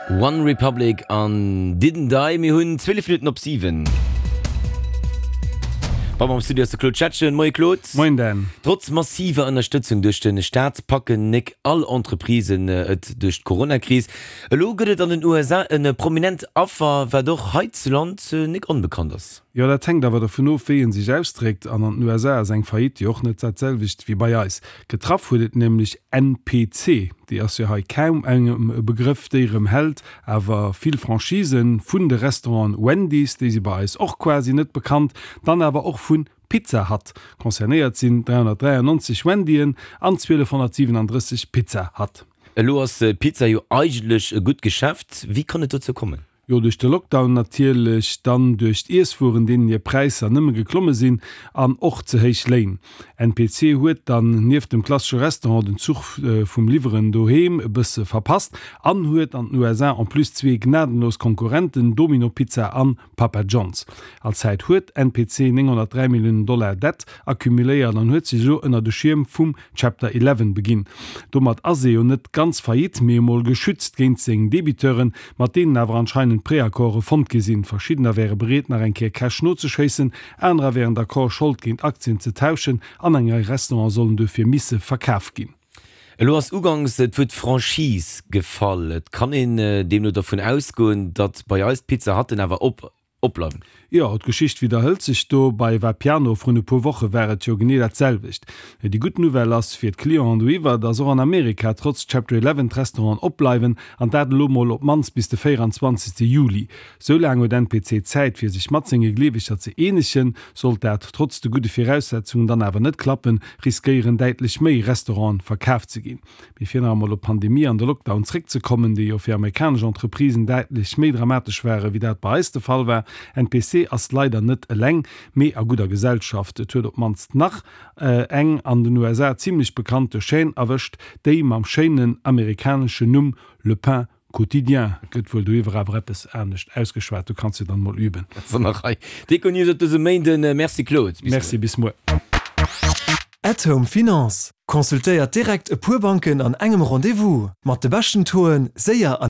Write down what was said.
One Republic an Didn't I. Mir hunn 12 Minutten op 7. Bei mer am Studio ass de Claude Schettgen. Moie Claude. Moien Dan. Trotz massiver Ënnerstëtzung duerch de Staat packen nek all Entreprisen et duerch d'Coronakris. Elo gëtt et an den USA e prominent Affer, wat och heizuland nek onbekannt ass. Jo, dat hänkt awer dovun of, wéi ee sech ausdréckt. An an den USA ass eng Faillite jo och net dat selwecht wéi bei eis. Getraff huet et nämlech NPC, déi ass jo hei kaum engem e Begrëff, déi erëm hält awer vill Franchisen vun de Restauranten Wendy's, déi si bei eis och quasi net bekannt, dann awer och vu Pizza Hut. Concernéiert sinn 393 Wendyen an 1237 Pizza Hut. Elo ass Pizza jo eigentlech e gutt Geschäft. Wéi kann et dozou kommen? Jo, duerch de Lockdown natierlech, dann duerch d'Iesswueren, deenen hir Präisser nëmme geklomme sinn, an och ze héich Léin. NPC huet dann nieft dem klassesche Restaurant den Zuch vum Liwweren doheem e bësse verpasst an huet an den USA en plus zwee gnadenlos Konkurrenten, Domino Pizza an Papa John's. All Zäit huet NPC 903 Milliounen Dollar Dett accumuléiert an huet sech elo ënner de Schierm vum Chapter Eleven beginn. Domat ass ee jo net ganz faillite, mee emol geschützt géint seng Debiteuren, mat deenen awer anscheinend Preaccorde fonnt gi sinn. Verschiddener wäre bereet nach eng Kéier Cash nozeschéissen, anerer wären d'accord Schold géint Aktien ze tauschen an eng Rei Restaurante sollen duerfir misse verkaf ginn. Elo ass ugangs d'Wuert Franchise gefall. Et kann een deemno dervun ausgoen, datt bei eis d'Pizza Hutten awer op Opbleiwen. Jo, d'Geschicht widderhëlt sech do. Bei Vapiano vrun e puer Woche war et jo genee dat selwecht. Déi gutt Nouvelle ass fir d'Clienten doiwwer, dass och an Amerika trotz Chapter 11 d'Restauranten opbleiwen, an dat elo mol op d'mannst bis de 24. Juli. Sou laang huet NPC Zäit fir sech mat senge Gleeweger ze eenegen. Sollt dat trotz de gudde Viraussetzungen dann awer net klappen, riskéieren däitlech méi Restauranten verkaf ze ginn. Mee fir nach emol op d'Pandemie an de Lockdown zréckzekommen, déi jo fir amerikanesch Entreprisen däitlech méi dramatesch ware wéi dat bei eis de Fall war, NPC ass leider net eleng, mee a gudder Gesellschaft. Et huet op d'mannst nach eng an den USA zimlech bekannte Chaîne erwëscht, déi mam schéinen amerikaneschen Numm Le Pain Quotidien. Gëtt wuel doiwwer awer eppes anescht ausgeschwat, du kanns jo dann mol üben. Ass an der Rei. D'Econews op dësem Méinden. Merci Claude, bis muer. Merci, bis muer. At Home Finance, Consultéiert direkt e puer Banken an engem Rendez-vous. Mat de beschten Tauxen, séier an.